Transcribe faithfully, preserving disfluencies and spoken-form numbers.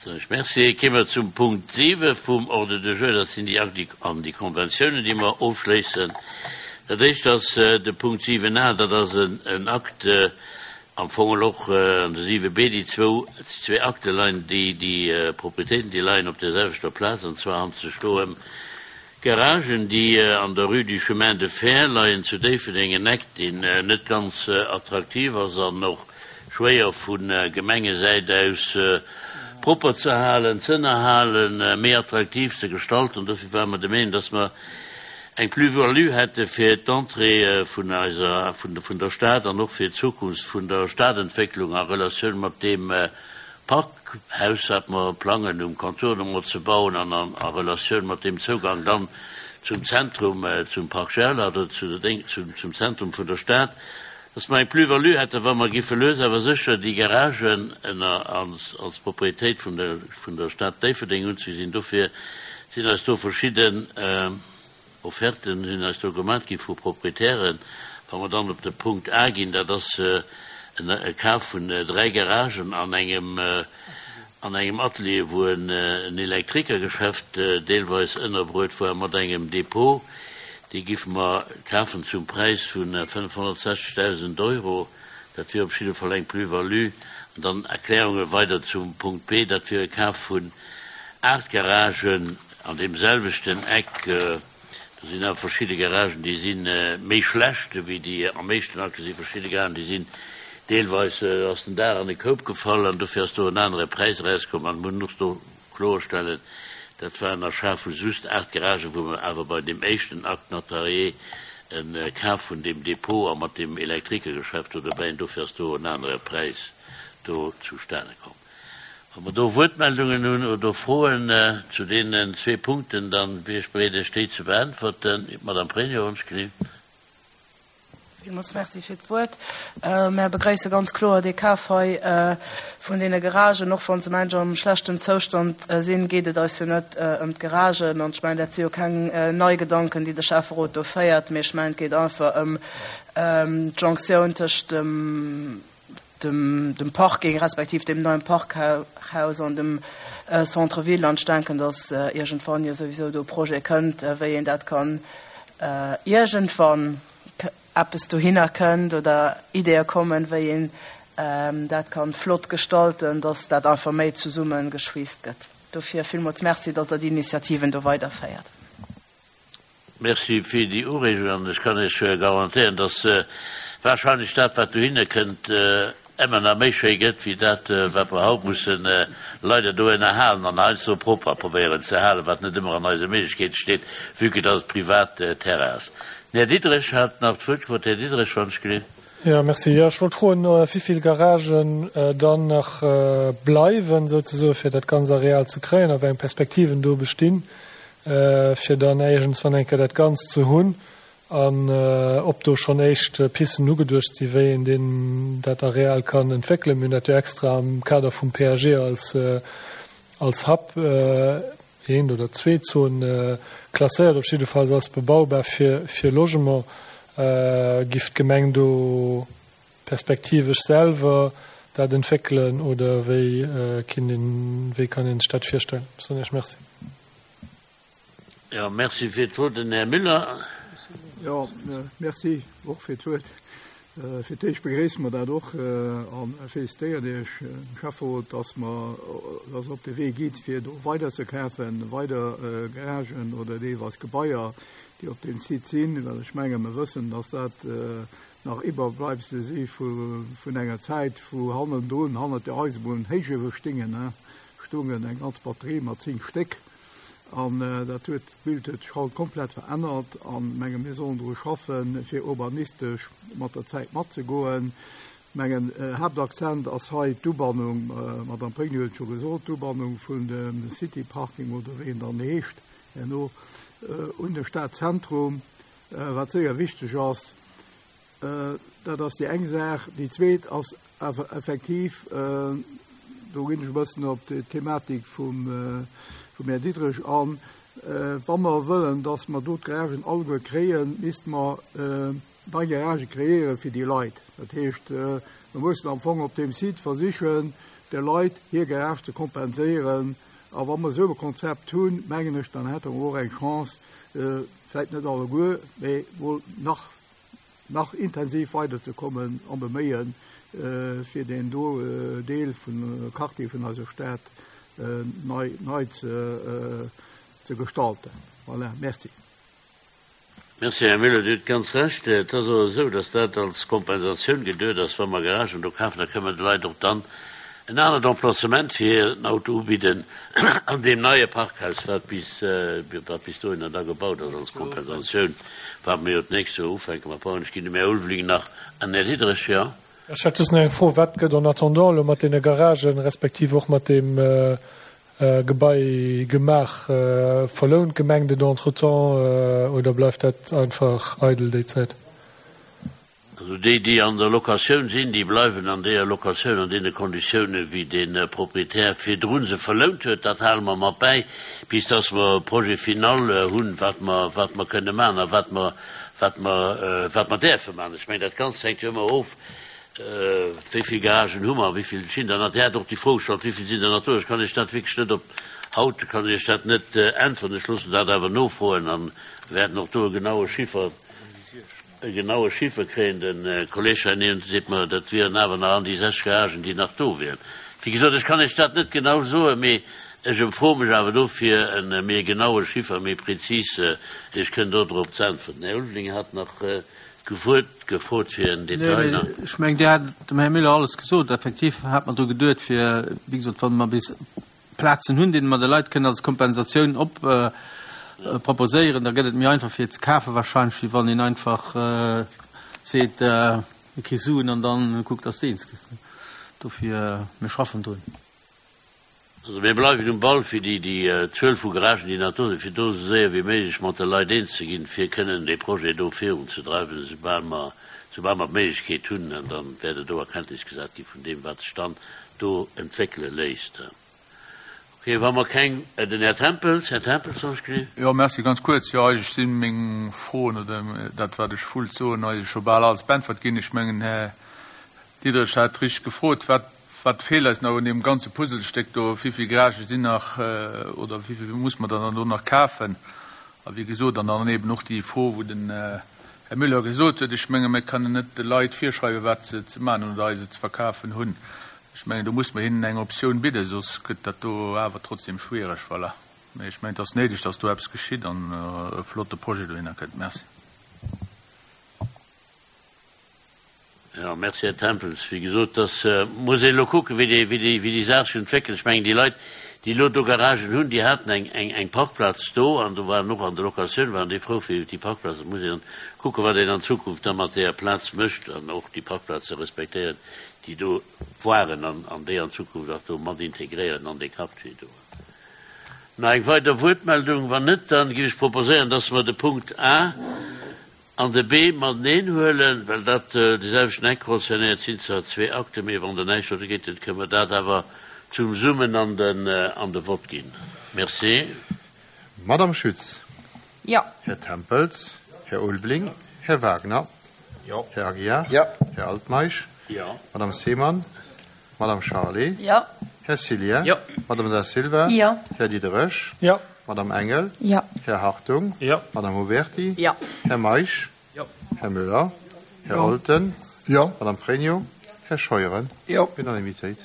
Soen ech Merci. Kéime mer zum Punkt siwe vum Ordre du jour, dat sinn déi Akten an déi Konventiounen, déi mer ofschléissen. Dat éischt ass de Punkt siwen a, dat ass en Akt, am Fong och an de siwe b, déi zwou, zwee Akte leien, déi, déi Propriétéiten, déi leien op der selwechter Plaz, an zwar handelt sech do ëm Garagen, déi an der Rue du Chemin de Fer leien zu Déifferdeng, en Eck, deen net ganz attraktiv ass an och schwéier vu Gemengesäit aus propper ze halen, z'ënnerhalen, méi attraktiv ze gestalten. Dofir ware mer der Meenung, dass mer eng Plus-value hätte fir d'Entrée vun eiser, vun, vun der Stad an och fir d'Zukunft vun der Stadentwécklung a Relatioun mat deem Parkhaus, wat mer plangen um Contournement ze bauen an an a Relatioun mat deem Zougang dann zum Zentrum, zum Parc Gerlach oder zu der, zum, zum Zentrum vun der Stad, dass mer eng Plus-value hätte wa mer giffe lues awer sécher déi Garagen ënner als, als Propriétéit vun der, vun der Stad Déifferdeng unzegesinn. Dofir sinn eis do verschidden Offerten sinn eis do gemat gi vu Proprietären. Wa mer dann op de Punkt A ginn, dat ass e Kaf vun dräi Garagen an engem, an engem Atelier, wou en Elektrikergeschäft deelweis ënnerbruet war mat engem Depot. Déi giffe mer kafen zum Präis vu fënnefhonnertsechzegdausend Euro. Dat wier op jidde Fall eng Plus-value. An dann Erklärunge weider zum Punkt B, dat wier e Kaf vun aacht Garagen an deem selwechten Eck. Do sinn awer verschidde Garagen, déi si méi schlecht wéi déi am éischten Akt. Do si verschidde Garagen, déi sinn deelweis ass den Daach an e Koup gefall an dofir ass do en anere Präis erauskomm. An mir hunn och do kloerstellen, dat war en Achat vu just aacht Garagen, wou mer awer bei deem éischten Acte notarié e Kaf vun deem Depot a mat deem Elektrikergeschäft do dobäi, an dofir ass do en anere Präis do zustane komm. Wa mer do Wuertmeldungen hunn oder Froen zu deenen zwee Punkten, dann wier ech bereet, Iech déi ze beäntwerten. D'Madame Pregno, wonsch gelift. Villmools Merci fir d'Wuert. Mär begréisse ganz kloer dee Kaf hei vun deene Garagen. Och wa se mensch am schlechten Zoustand sinn, geet et eis jo net ëm d'Garagen. An ech mengen, dat si jo keng nei Gedanken, déi de Schäfferot do féiert, mee ech mengen, et geet einfach ëm d'Jonctioun tëscht dem, dem, dem Parking respektiv dem neien Parkhaus an dem Centre-ville. An ech denken, datt iergendwann jo souwisou do e Projet kënnt, wéi een dat kann iergendwann eppes dohinner kënnt oder Ideeë kommen, wéi een dat kann flott gestalten, datt dat einfach méi zesumme geschweesst gëtt. Dofir villmools Merci, datt Der déi Initiativen do weiderféiert. Merci fir déi Ureegung an ech kann Iech garantéieren, datt wahrscheinlech dat, wat dohinner kënnt, ëmmer nach méi schéi gëtt wéi dat, wat mer haut mussen leider do ënnerhalen an heiansdo propper probéieren ze halen, wat net ëmmer an eise Méiglechkeete steet, vue que dass et privat Terrain ass. Den Här Diderich hat nach d'Wuert gefrot. Här Diderich, wann ech gelift. Jo, merci. Jo, ech wollt froen, wivill Garagen dann nach bleiwen, souzesoen, fir dat ganz Areal ze kréien a wéi eng Perspektiven do bestinn, fir dann iergendswann eng Kéier dat Ganzt ze hunn an ob do schonn éischt Pisten ugeduecht sinn, wéi een deen, dat Areal kann entwéckelen. Mir hunn dat jo extra am Kader vum P A G als, als Hub eent oder zwee Zone klasséiert, op jiddefalls als bebaubar fir, fir Logement. Giff d'Gemeng do perspektivesch selwer dat entwéckelen oder wéi kinnt een, wéi kann een sech dat virstellen? Soen Iech Merci. Jo, merci fir d'Wuert. Den Här Müller. Jo, merci och fir d'Wuert. Fir d'éischt begréisse mer dat och a félicitéieren Iech, Schäfferot, dass mer, dass Der op de Wee gitt, fir do weider ze kafen, weider Garagen oder deelweis Gebaier, déi op deem Site sinn, well ech menge mer wëssen, dass dat nach Iwwerbleibsele si vun enger Zäit, wou hannendrun, hannert der Eisebunn, Héichuewe stingen, stungen eng ganz Batterie mat zéng Stéck. An dat huet, d'Bild huet sech haut komplett verännert an menge mir sollen dru schaffen, fir urbanistesch mat der Zäit matzegoen. Mengen Haaptakzent ass hei d'Ubannung, d'Madame Pregno huet et scho gesot, d'Ubannung vun dem City Parking oder wéi en dann heescht herno un de Stadzentrum, wat séier wichteg ass. Dat ass déi eng Saach. Déi zweet ass awer effektiv, do ginn ech e bëssen op d'Thematik vum vum Här Diderich an, wa mer wëllen, dass mer do d'Garagen alleguer kréien, misste mer nei Garagë kreéiere fir déi Leit. Dat heescht, mer mussen am Fong op deem Site versichen, de Leit hir Garage ze kompenséieren. A wa mer esou e Konzept hunn, mengen ech, dann hätte mer och eng Chance, vläicht net alleguer, mee mol nach, nach intensiv weiderzekommen am Beméien, fir deen do Deel vun Quartier vun eiser Stad nei, nei ze, ze gestalten. Voilà, merci. Merci, Här Müller. Dir hutt ganz Recht. Et ass och esou, dass dat als Kompensatioun geduet ass, wa mer Garagen do kafen, da kënnen mer de Leit och dann en anert Emplacement fir hiren Auto ubidden an deem neie Parkhaus, wat bis, wat bis dohinner da gebaut ass als Kompensatioun, wat mer jo d'nächst Joer ufänke mat bauen. Ech ginn dem Här Ulveling nach an Här Diderich, jo. Ech hätt just nach eng Fro, Wat gëtt en attendant elo mat deene Garagen, respektiv och mat deem Gebai gemaach? Verlount d'Gemeng dat entretemps oder bleift dat einfach eidel déi Zäit? Also déi, déi an der Locatioun sinn, déi bleiwen an deeër Locatioun an deene Konditiounen, wéi dee Proprietär virdru se verlount huet. Dat hale mer mat bäi, bis dass mer e Projet final hunn, wat mer, wat mer kënne maachen a wat mer, wat mer, wat mer däerfe maachen. Ech mengen, dat Ganzt hänkt jo ëmmer of, wéi vill Garagen hu mer, wéi vill sinn der nach. Dir hat och déi Fro gestallt, wéi vill sinn der nach do. Ech kann Iech dat wierklech net op haut kann ech Iech dat net äntweren. Ech loossen dat awer nofroen a wäerten och do e genaue Chiffer, e genaue Chiffer kréien. De Kolleg hei niewent seet mer, dat wieren awer nach an déi sechs Garagen, déi nach do wieren. Wéi gesot, ech kann Iech dat net genau soen, mee ech emfroe mech awer dofir e méi genaue Chiffer, méi prezis Iech kënnen do drop ze äntweren. Den Här Ulveling hat nach Gefuert, gefrot fir en Detail nach. Ech mengen, Dir hat dem Här Müller alles gesot. Effektiv hat mer dru geduet, fir, wéi gesot, wa mer bis Plazen hunn, déi mer de Leit kënnen als Kompensatioun op proposéieren, da gëtt et méi einfach fir ze kafen wahrscheinlech, wéi wann een einfach seet, du kriss Suen an dann kuck, dass de eens gëss. Dofir, mir schaffen drun. Also mir bleiwen um Ball, fir déi déi Zuel vu Garagen, déi nach do sinn, fir do esou séier wéi méiglech mat de Leit eens ze ginn, fir kënnen dee Projet do virunzedreiwen, esoubal mer, esoubal mer d'Méiglechkeet hunn. An da wäert et do a Kenntnis gesat gi vun deem, wat sech dann do entwéckele léisst. Okay, wa mer keng, den Här Tempels, Här Tempels, soll ech gesinn? Jo, merci. Ganz kuerz, jo, eigentlech si meng Froen oder dat, wat ech wollt soen, eigentlech scho bal alles beäntwert ginn. Ech mengen, Här Diderich hat richteg gefrot, wat, wat feelt eis nach un deem ganze Puzzlestéck do, wéi vill Garagë sinn nach oder wéi vill muss mer dann elo nach kafen? A wéi gesot, an dann eben och déi Fro, wou den Här Müller gesot huet, ech menge mir kënnen net de Leit virschreiwen, wat se ze maachen hunn oder eis et ze verkafen hunn. Ech mengen, do muss mer hinnen eng Optioun bidden, soss gëtt dat do awer trotzdem schwiereg. Voilà. Mee ech mengen, et ass néideg, dass do eppes geschitt an e flotte Projet dohinner kënnt. Merci. Jo, merci, Här Tempels. Wéi gesot, dass muss een elo kucken, wéi déi, wéi déi, wéi déi Saach sech entwéckelt. Ech mengen, déi Leit, déi elo do Garagen hunn, déi haten eng, eng, eng Parkplaz do an do waren och an der Locatioun waren déi frou fir déi Parkplaz. Et muss een kucken, wat een an Zukunft da mat deeër Plaz mécht an och déi Parkplaze respektéieren, déi do waren an, an déi an Zukunft och do mat integréieren an dee Quartier do. Nach eng weider Wuertmeldung? Wann net, dann géif ech proposéieren, dass mer de Punkt A an de B mateneen huelen, well dat de selwechten Eck concernéiert, sinn zwar zwee Akten, mee wann der näischt dogéint hutt, kënne mer dat awer zesummen an den an de Vott ginn. Merci. Madame Schütz. Jo. Här Tempels. Här Ulveling. Här Wagner. Jo. Här Aguiar. Jo. Här Altmeisch. Jo. Madame Seemann. Madame Charlé. Jo. Här Cillien. Jo. Madame Da Silva. Jo. Här Diderich. Jo. Madame Engel. Jo. Här Hartung. Jo. Madame Huberti. Jo. Här Meisch. Jo. Här Müller. Här Jo. Olten. Jo. Madame Pregno. Här Scheuren. Jo. Unanimitéit.